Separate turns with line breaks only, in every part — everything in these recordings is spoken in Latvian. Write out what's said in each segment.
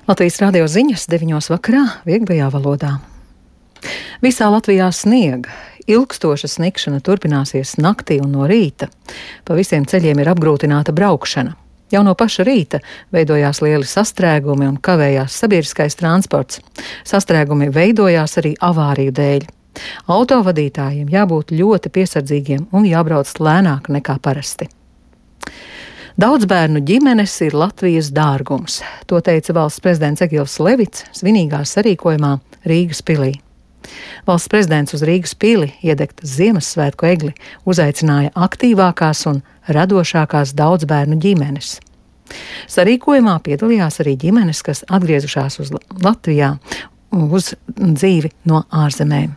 Latvijas radio ziņas 9 vakarā vieglajā valodā. Visā Latvijā sniega. Ilgstoša sniegšana turpināsies naktī un no rīta. Pa visiem ceļiem ir apgrūtināta braukšana. Jau no paša rīta veidojās lieli sastrēgumi un kavējās sabiedriskais transports. Sastrēgumi veidojās arī avāriju dēļ. Autovadītājiem jābūt ļoti piesardzīgiem un jābrauc lēnāk nekā parasti. Daudz bērnu ģimenes ir Latvijas dārgums. To teica valsts prezidents Egils Levits svinīgā sarīkojumā Rīgas pilī. Valsts prezidents uz Rīgas pili iedegt Ziemassvētku egli uzaicināja aktīvākās un radošākās daudz bērnu ģimenes. Sarīkojumā piedalījās arī ģimenes, kas atgriezušās uz Latvijā uz dzīvi no ārzemēm.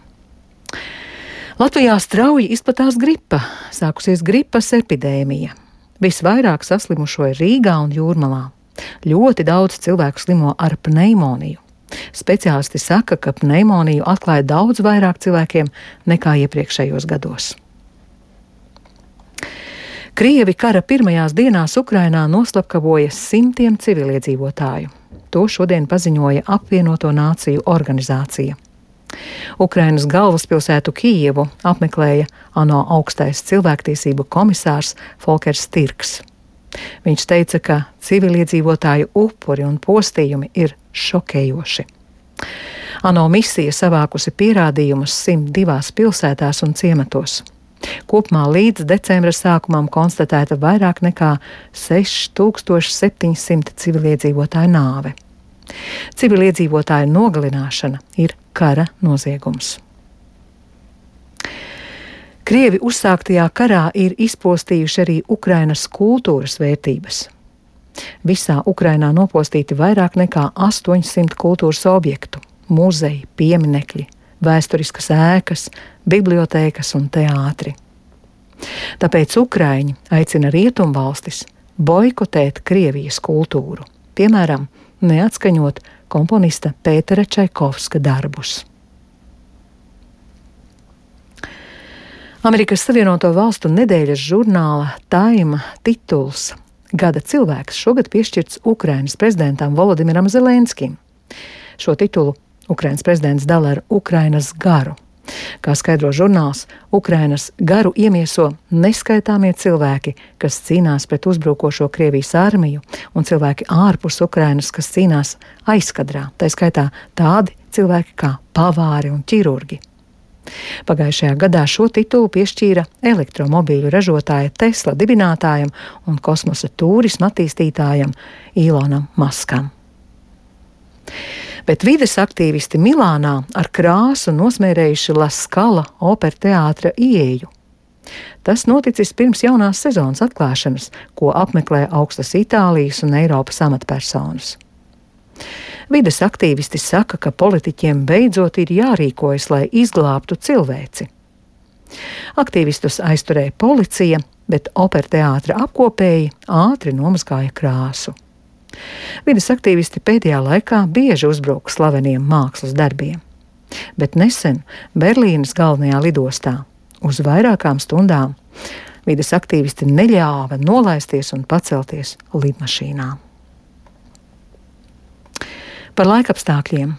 Latvijā strauji izplatās gripa, sākusies gripas epidēmija. Visvairāk saslimušo ir Rīgā un Jūrmalā. Ļoti daudz cilvēku slimo ar pneimoniju. Speciālisti saka, ka pneimoniju atklāja daudz vairāk cilvēkiem nekā iepriekšējos gados. Krievi kara pirmajās dienās Ukrainā noslapkavoja simtiem civiliedzīvotāju. To šodien paziņoja Apvienoto Nāciju organizācija. Ukrainas galvaspilsētu Kijevu apmeklēja ANO augstais cilvēktiesību komisārs Folkers Stirks. Viņš teica, ka civiliedzīvotāju upuri un postījumi ir šokējoši. ANO misija savākusi pierādījumus 102 pilsētās un ciematos. Kopumā līdz decembra sākumam konstatēta vairāk nekā 6700 civiliedzīvotāju nāve. Civiliedzīvotāju nogalināšana ir kara noziegums. Krievi uzsāktajā karā ir izpostījuši arī Ukrainas kultūras vērtības. Visā Ukrainā nopostīti vairāk nekā 800 kultūras objektu, muzeji, pieminekļi, vēsturiskas ēkas, bibliotēkas un teātri. Tāpēc Ukraiņi aicina rietumvalstis boikotēt Krievijas kultūru, piemēram, neatskaņot komponista Pētera Čaikovska darbus. Amerikas Savienoto Valstu nedēļas žurnāla Time tituls Gada cilvēks šogad piešķirts Ukrainas prezidentam Volodimiram Zelenskim. Šo titulu Ukrainas prezidents dala ar Ukrainas garu. Kā skaidro žurnāls, Ukrainas garu iemieso neskaitāmie cilvēki, kas cīnās pret uzbrukošo Krievijas armiju, un cilvēki ārpus Ukrainas, kas cīnās aizkadrā, tā skaitā tādi cilvēki kā pavāri un ķirurgi. Pagājušajā gadā šo titulu piešķīra elektromobīļu ražotāja Tesla dibinātājam un kosmosa turisma attīstītājam Ilonam Maskam. Bet vides aktīvisti Milānā ar krāsu nosmērējuši La Scala operteātra ieeju. Tas noticis pirms jaunās sezonas atklāšanas, ko apmeklē augstas Itālijas un Eiropas amatpersonas. Vides aktīvisti saka, ka politiķiem beidzot ir jārīkojas, lai izglābtu cilvēci. Aktīvistus aizturēja policija, bet operteātra apkopēji ātri nomazgāja krāsu. Vides aktīvisti pēdējā laikā bieži uzbruka slaveniem mākslas darbiem, bet nesen Berlīnes galvenajā lidostā uz vairākām stundām vides aktīvisti neļāva nolaisties un pacelties lidmašīnā. Par laikapstākļiem.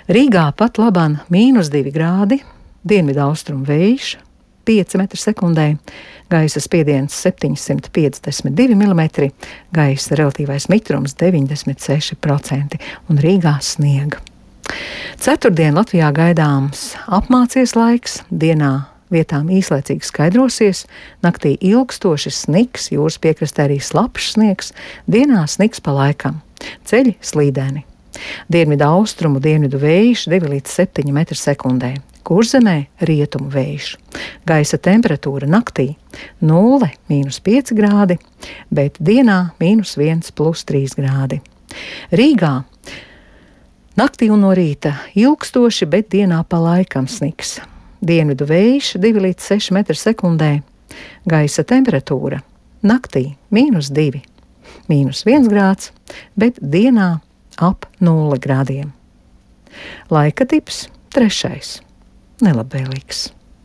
Rīgā pat labāk -2 grādi, dienvidaustrumu vējš 5 m/sekundē, gaisa spiediens 752 mm, gaisa relatīvais mitrums 96% un Rīgā sniega. Ceturtdien Latvijā gaidāms apmācies laiks, dienā vietām īslaicīgi skaidrosies, naktī ilgstoši sniks, jūras piekrastē arī slapjš sniegs, dienā sniks pa laikam, ceļi slīdeni. Dienvidu austrumu, dienvidu vējš 2 līdz 7 m/sekundē. Kurzemē rietumu vējš. Gaisa temperatūra naktī 0 - -5 grādi, bet dienā -1 + 3 grādi. Rīgā naktī un no rīta ilgstoši, bet dienā pa laikam sniks. Dienvidu vējš 2 līdz 6 m/sekundē. Gaisa temperatūra naktī -2, -1 grāds, bet dienā ap 0 grādiem. Laika tips 3. Nelabvēlīgs.